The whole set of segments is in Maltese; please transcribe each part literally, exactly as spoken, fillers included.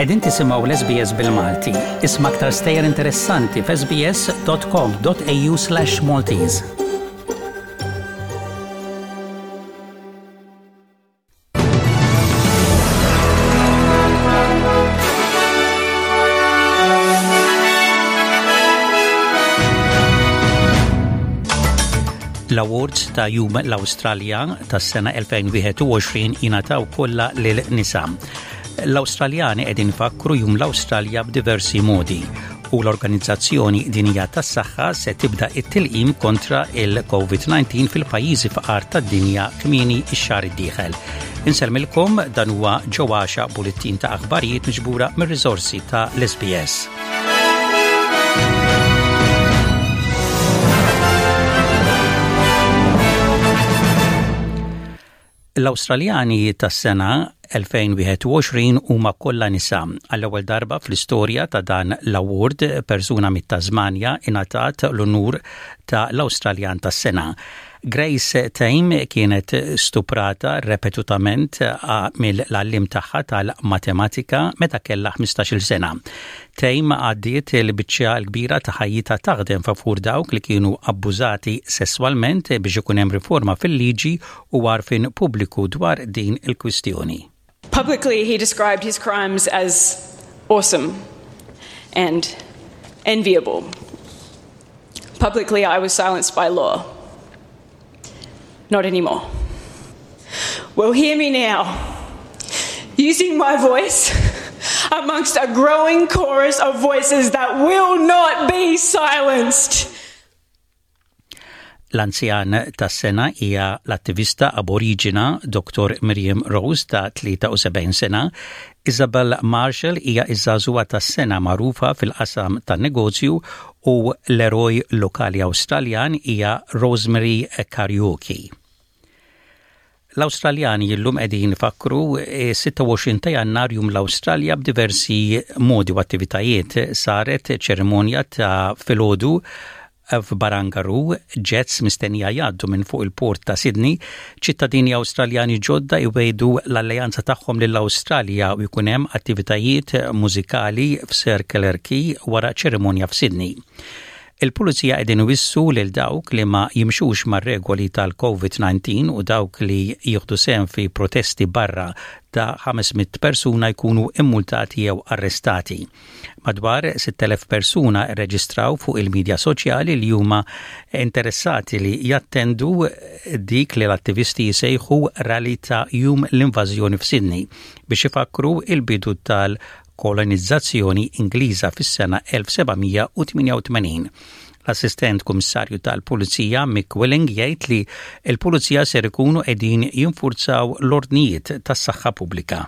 Qegħdin tisimgħu l-S B S bil-Malti. Isma' aktar stejjer interessanti f'S B S dot com dot A U slash Maltese. L-Awards ta' Jum l-Awstralja tas-sena elfejn u wieħed u għoxrin jingħataw kollha lil nisa. L-Awstraljani qegħdin ifakkru Jum l-Awstralja b'diversi modi u l-Organizzazzjoni Dinjija tas-Saħħa se tibda it-tilqim kontra il-COVID disa fil-pajjiżi faqar tad-dinja kmieni ix-xahar id-dieħel. Insellmilkom, dan huwa ġewwaxa bulettin ta' aħbarijiet miġbura mir-riżorsi ta' l-S B S. L-Awstraljani tas-sena elfejn u wieħed u għoxrin huma kollha nisa. Għall-ewwel darba fl-istorja ta' dan l-award, persuna mit-Tasmanja ingħatat l-unur ta' l-Awstraljan tas-sena. Grace Tame kienet stuprata ripetutament mill-għallim tagħha tal-matematika meta kellha ħmistax-il sena. Tame għaddiet il-biċċa l-kbira ta' ħajjitha taħdem favur dawk li kienu abbużati sesswalment biex ikun hemm riforma fil-liġi u għarfien pubbliku dwar din il-kwistjoni. Publicly, he described his crimes as awesome and enviable. Publicly, I was silenced by law. Not anymore. Well, hear me now. Using my voice amongst a growing chorus of voices that will not be silenced. L-anzjan tas-sena hija l-attivista aboriġina Doktor Miriam Rose ta' tlieta u sebgħin sena. Isabel Marshall hija iż-żagħżugħa tas-sena magħrufa fil-qasam tan-negozju u l-eroj lokali Awstraljan hija Rosemary Kariuki. L-Awstraljani illum qegħdin ifakkru sitta u għoxrin ta' Jannar, Jum l-Awstralja, b'diversi modi u attivitajiet. Saret ċerimonja ta' filgħodu f'Barangaroo, jets mistennija jgħaddu minn fuq il-port ta' Sydney, ċittadini Awstraljani ġodda jwegħdu l-alleanza tagħhom lill-Awstralja u jkun hemm attivitajiet mużikali f'Circular Quay wara ċerimonja f'Sydney. Il-pulizija qegħdin iwissu lil dawk li ma jimxux mar-regoli tal-COVID disa u dawk li jieħdu sehem fi protesti barra ta' ħames mitt persuna jkunu immultati jew arrestati. Madwar sitt elef persuna rreġistraw fuq il-medja soċjali li huma interessati li jattendu dik li l-attivisti jsejħu rally ta' Jum l-Invażjoni f'Sydney biex ifakru il-bidu tal kolonizzazzjoni Ingliża fis-sena elf seba' mija u tmienja u tmenin. L-assistent kummissarju tal-Pulizija Mick Willing jgħid li l-Pulizija ser ikunu qegħdin jinfurzaw l-ordnijiet tas-saħħa pubblika.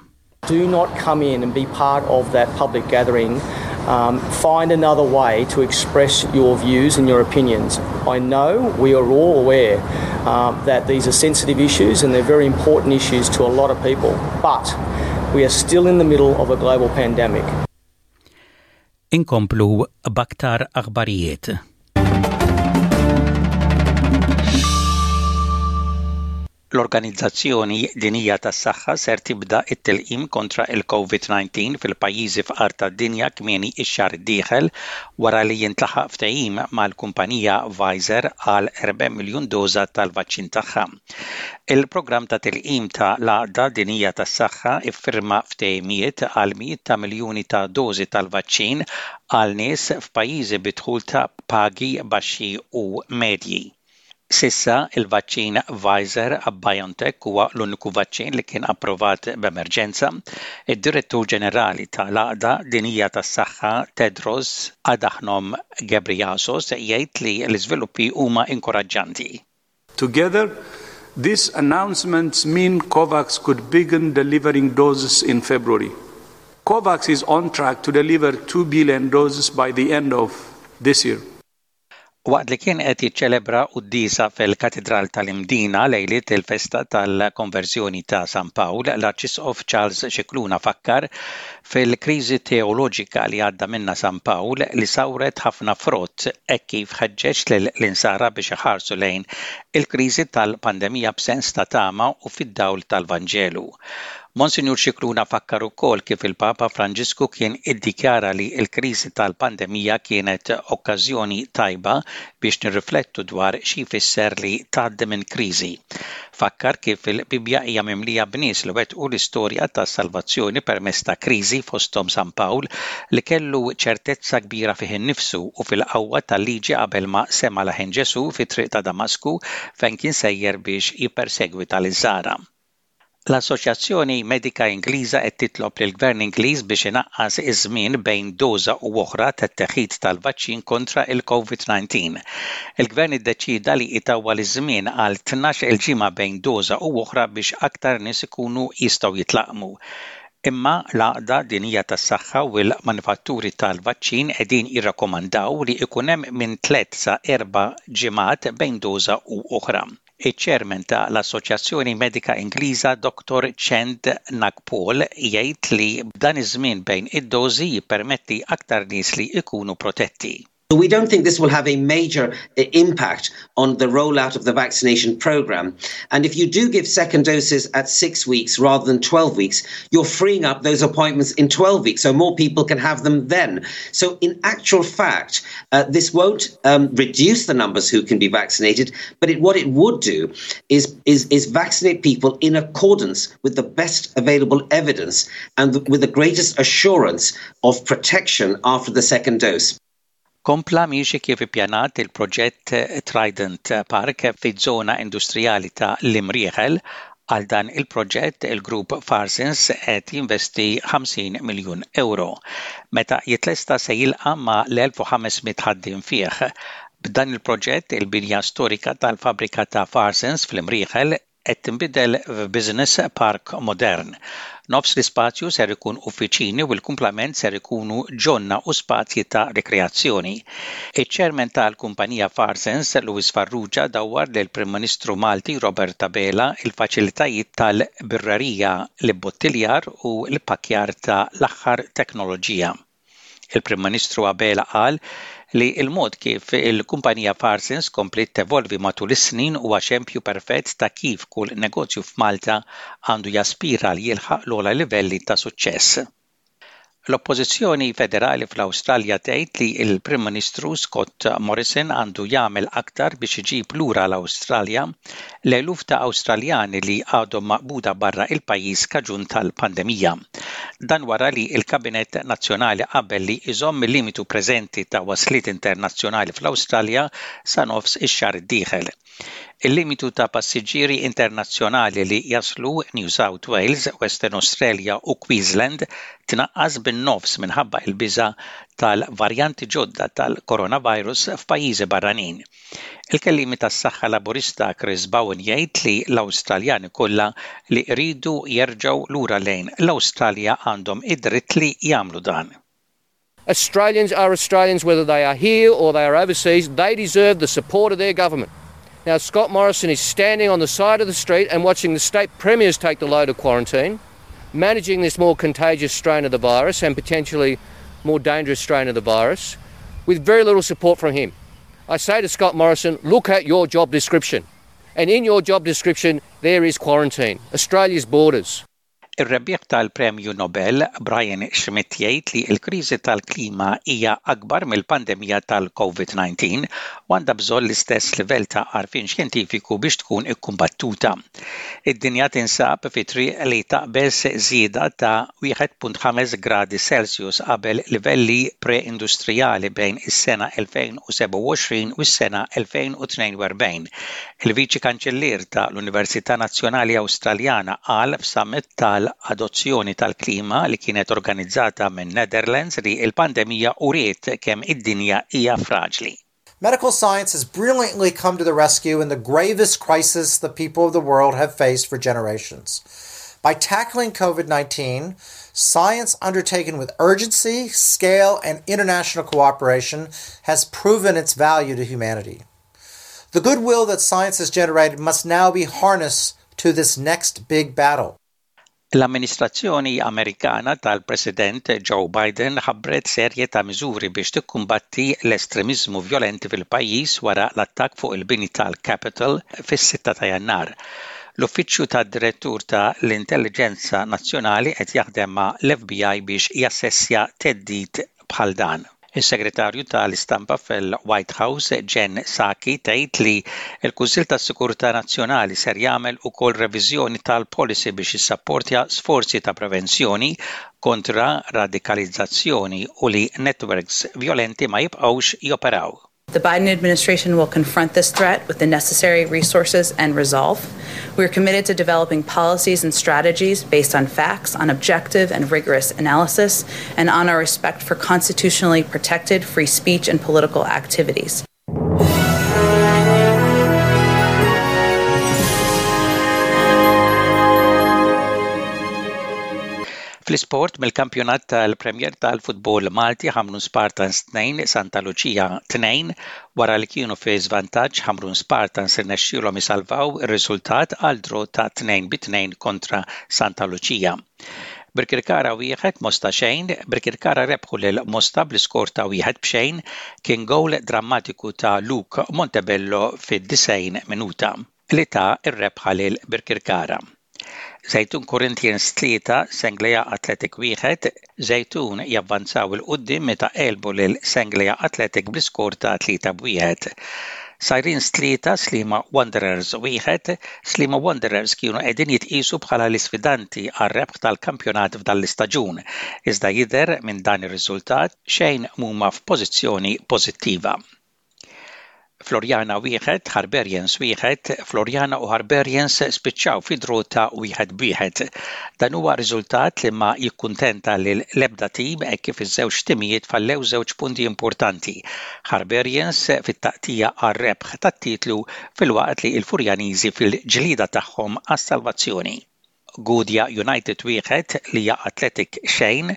Do not come in and be part of that public gathering. Um, find another way to express your views and your opinions. I know we are all aware uh, that these are sensitive issues and they're very important issues to a lot of people, but we are still in the middle of a global pandemic. Inkomplu b'aktar aħbarijiet. L-Organizzazzjoni Dinjija tas-Saħħa ser tibda it-tilqim kontra il-COVID disa fil-pajjiżi fqar tad-dinja kmieni ix-xahar id-dieħel wara li jintlaħaq ftehim mal-kumpanija Pfizer għal erba' miljun doża tal-vaċċin tagħha. Il-programm ta' tilqim ta' l-Għaqda Dinjija tas-Saħħa iffirma ftehimiet għal mijiet ta' miljuni ta' dożi tal-vaċċin għal nies f'pajjiżi bi dħul ta' pagi baxxi u medji. S'issa, il-vaċċin Pfizer BioNTech huwa l-uniku vaċċin li kien approvat b'emerġenza. Id-Direttur Ġenerali tal-Għaqda Dinjija tas-Saħħa Tedros Adhanom Ghebreyesus jgħid li l-iżviluppi huma inkoraġġanti. Together, these announcements mean COVAX could begin delivering doses in February. COVAX is on track to deliver two billion doses by the end of this year. Waqt li kien qed jiċċelebra quddiesa fil-Katidral tal-Imdina lejliet il-festa tal-Konverżjoni ta' San Pawl, l-Arċisqof Charles Scicluna fakkar fil-kriżi teoloġika li għadda minna San Pawl li sawret ħafna frott, hekk kif ħeġġeġ lill-insara biex iħarsu lejn il-kriżi tal-pandemija b'sens ta' tama u fid-dawl tal-Vanġelu. Monsinjur Scicluna fakkar ukoll kif il-Papa Franġisku kien iddikjara li l-kriżi tal-pandemija kienet okkażjoni tajba biex nirriflettu dwar xi jfisser li tgħaddi minn kriżi. Fakkar kif il-Bibja hija mimlija b'nies li wettqu l-istorja tas-salvazzjoni permezz ta' kriżi, fosthom San Pawl, li kellu ċertezza kbira fih innifsu u fil-qawwa tal-liġi qabel ma sema leħen Ġesu fit-triq ta' Damasku fejn kien sejjer biex jippersegwita l-Insara. L-Assoċjazzjoni Medika Ingliża qed titlob lill-Gvern Ingliż biex inaqqas iż-żmien bejn doża u oħra tat-teħid tal-vaċċin kontra il-COVID disa. Il-Gvern iddeċida li itawwal iż-żmien għal tnax il-ġimgħa bejn doża u oħra biex aktar nies ikunu jistgħu jitlaqqmu. Imma l-Għaqda Dinjija tas-Saħħa u l-manifatturi tal-vaċċin qegħdin jirrakkomandaw li ikun hemm minn tliet sa erba' ġimgħat bejn doża u oħra. Iċ-chairman ta' l-Assoċjazzjoni Medika Ingliża, Doktor Chaand Nagpaul, jgħid li b'dan iż-żmien bejn id-dożi jippermetti aktar nies li ikunu protetti. We don't think this will have a major uh, impact on the rollout of the vaccination program. And if you do give second doses at six weeks rather than twelve weeks, you're freeing up those appointments in twelve weeks, so more people can have them then. So, in actual fact, uh, this won't um, reduce the numbers who can be vaccinated, but it, what it would do is, is, is vaccinate people in accordance with the best available evidence and with the greatest assurance of protection after the second dose. Kompla miexi kif ippjanat il-proġett Trident Park fi-żona industrijali ta' l-Imrieħel. Għal dan il-proġett il-grupp Farsons qed jinvesti ħamsin miljun euro. Meta jitlesta se jilqa' mal-elf u ħames mitt ħaddiem fih. B'dan il-proġett, il-binja storika tal-fabrika ta' Farsons fl-Imrieħel qed tinbidel f'business park modern. Nofs l-ispazju ser ikun uffiċini u l-kumplament ser ikunu ġonna u spazji ta' rekreazzjoni. Iċ-chairman tal-kumpanija Farsons, Louis Farrugia, dawwar lil Prim Ministru Malti Robert Abela il-faċilitajiet tal-birrerija, l-bottiljar u l-pakkjar ta' l-aħħar teknoloġija. Il-Prim Ministru Abela qal li il-mod kif il-kumpanija Farsons komplet tevolvi matul is-snin huwa xempju perfett ta' kif kull negozju f'Malta għandu jaspira li jilħaq l-ogħla livelli ta' suċċess. L-Oppożizzjoni Federali fl-Awstralja tgħid li l-Prim Ministru Scott Morrison għandu jagħmel aktar biex iġib lura l-Awstralja l-eluf ta' Awstraljani li għadhom maqbuda barra il-pajjiż kaġun tal-pandemija. Dan wara li l-Kabinett Nazzjonali qabel li iżomm il-limitu preżenti ta' wasliet internazzjonali fl-Awstralja sa nofs ix-xahar id-dieħel. Il-limitu ta' passiġġieri internazzjonali li jaslu New South Wales, Western Australia u Queensland tnaqqas bin-nofs minħabba il-biża tal-varjanti ġodda tal-coronavirus f'pajjiżi barranin. Il-kellimi tas-saħħa Laburista Chris Bowen jgħid li l-Awstraljani kollha li jridu jerġgħu lura lejn l-Awstralja għandhom id-dritt li jagħmlu dan. Australians are Australians whether they are here or they are overseas. They deserve the support of their government. Now, Scott Morrison is standing on the side of the street and watching the state premiers take the load of quarantine, managing this more contagious strain of the virus and potentially more dangerous strain of the virus, with very little support from him. I say to Scott Morrison, look at your job description. And in your job description, there is quarantine, Australia's borders. Ir-rebbieħ tal-Premju Nobel Brian Schmidt jgħid li l-kriżi tal-klima hija akbar mill-pandemija tal-COVID disa u għandha bżonn l-istess livell ta' għarfien xjentifiku biex tkun ikkumbattuta. Id-dinja tinsab fi triq li taqbeż żieda ta' wieħed punt ħames gradi Celsius qabel livelli pre-industrijali bejn is-sena elfejn u sebgħa u għoxrin u s-sena elfejn u tnejn u erbgħin. Il-Viċi Kanċellier ta' l-Università Nazzjonali Awstraljana qal f'summit tal-adozzjoni tal-klima li kienet organizzata minn Netherlands li il-pandemija uriet kemm id-dinja hija fraġli. Medical science has brilliantly come to the rescue in the gravest crisis the people of the world have faced for generations. By tackling COVID nineteen, science undertaken with urgency, scale, and international cooperation has proven its value to humanity. The goodwill that science has generated must now be harnessed to this next big battle. L-amministrazzjoni Amerikana tal-President Joe Biden ħabbret serje ta' miżuri biex tikkumbatti l-estremizmu violenti fil-pajjiż wara l-attakk fuq il-bini tal-Capitol fis-sitta ta' Jannar. L-Uffiċċju tad-Direttur ta' l-Intelligenza Nazzjonali qed jaħdem ma' l-F B I biex jassessja theddid bħal dan. Is-Segretarju tal-Istampa fil-White House, Jen Psaki, tgħid li l-Kunsill tas-Sigurtà Nazzjonali ser jagħmel ukoll reviżjoni tal-policy biex jissapportja sforzi ta' prevenzjoni kontra radikalizzazzjoni u li networks violenti ma jibqgħux joperaw. The Biden administration will confront this threat with the necessary resources and resolve. We are committed to developing policies and strategies based on facts, on objective and rigorous analysis, and on our respect for constitutionally protected free speech and political activities. Fl-isport, mill-kampjonat tal-Premier tal-Futbol Malti, Ħamrun Spartans tnejn, Santa Lucia tnejn. Wara li kienu fi żvantaġġ, Ħamrun Spartans irnexxielhom isalvaw ir-riżultat għal draw ta' tnejn bi tnejn kontra Santa Lucia. Birkirkara wieħed, Mosta xejn. Birkirkara rebħu lil Mosta bl-iskor ta' wieħed b'xejn. Kien gowl drammatiku ta' Luke Montebello fid-disgħin minuta li ta r-rebħa lil Birkirkara. Żejtun Corinthians tlieta, Senglea Athletic wieħed. Żejtun javvanzaw 'il quddiem meta għelbu lil Senglea Athletic bl-iskor ta' tlieta b'wieħed. Sirens tlieta, Sliema Wanderers wieħed. Sliema Wanderers kienu qegħdin jitqisu bħala l-isfidanti għar-rebħ tal-kampjonat f'dan l-istaġun. Iżda jidher minn dan ir-riżultat xejn mhuma f'pożizzjoni pożittiva. Floriana wieħed, Harbarians wieħed. Floriana u Harbarians spiċċaw fi draw ta' wieħed b'wieħed. Dan huwa riżultat li ma jikkuntenta lil l-ebda tim hekk kif iż-żewġ timijiet fallew żewġ punti importanti. Harbarians fit-taqtigħa għar-rebħ tat-titlu, filwaqt li l-Furjaniżi fil-ġlida tagħhom għas-salvazzjoni. Gudja United wieħed, Lija Athletic xejn.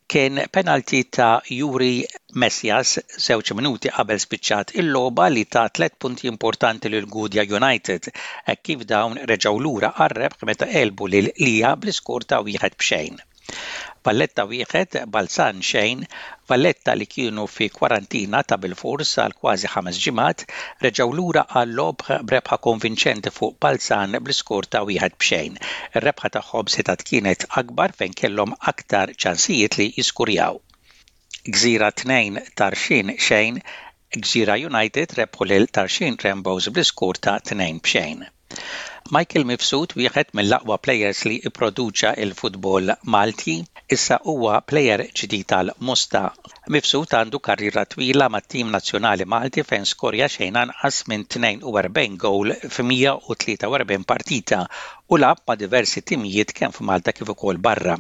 Kien penalti ta' Juri Messias żewġ minuti qabel spiċċat il-logħba li ta' tliet punti importanti lil Gudja United hekk kif dawn reġgħu lura għar-rebħ meta għelbu lil Lija bl-iskor ta' wieħed b'xejn. Valletta wieħed, Balzan xejn. Valletta, li kienu fi kwarantina ta' bil-fors għal kważi ħames ġimgħat, reġgħu lura għal logħob b'rebħa konvinċenti fuq Balzan bl-iskor ta' wieħed b'xejn. Ir-rebħa tagħhom setgħet kienet akbar fejn kellhom aktar ċansijiet li jiskurjaw. Gżira tnejn, Tarxien xejn. Gżira United rebħu lil Tarxien Rainbows bl-iskor ta' tnejn b'xejn. Michael Mifsud, wieħed mill-aqwa players li ipproduċa il-futbol Malti, issa huwa player ġdid tal-Mosta. Mifsud għandu karriera twila mat-tim nazzjonali Malti fejn skorja xejn anqas minn tnejn u erbgħin gowl f'mija u tlieta u erbgħin partita u lagħab ma' diversi timijiet kemm f'Malta kif ukoll barra.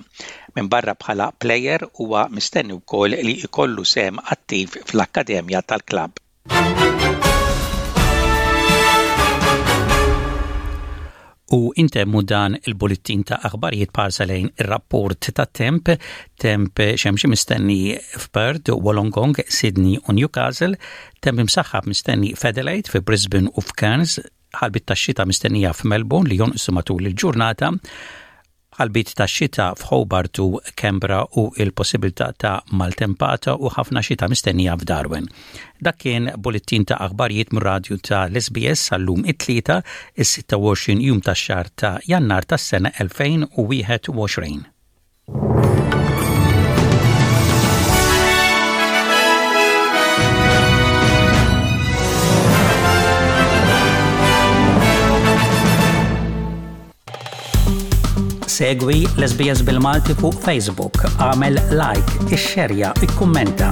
Minn barra bħala player, huwa mistenni wkoll li jkollu sehem attiv fl-akkademja tal-klabb. U intemmu dan il-bullettin ta' aħbarijiet b'ħarsa lejn ir-rapport ta' temp. Temp xemxi mistenni f'Perth, Wollongong, Sydney u Newcastle, temp imsaħħab mistenni f'Adelaide, fi Brisbane u f'Cairns, ħalbiet ta' xita mistennija f'Melbourne li jonqsu matul il-ġurnata, ħalbiet ta' xita f'Hobart u Canberra u il-possibilità ta' maltempata u ħafna xita mistennija f'Darwin. Dak kien bullettin ta' aħbarijiet mir-radju ta' l-S B S għal-lum it-Tlieta, is-sitta u għoxrin jum tax-xahar ta' Jannar tas-sena elfejn u wieħed u għoxrin. Segwi l-S B S bil-Malti fuq Facebook, għamel like, ixxerja, ikkummenta.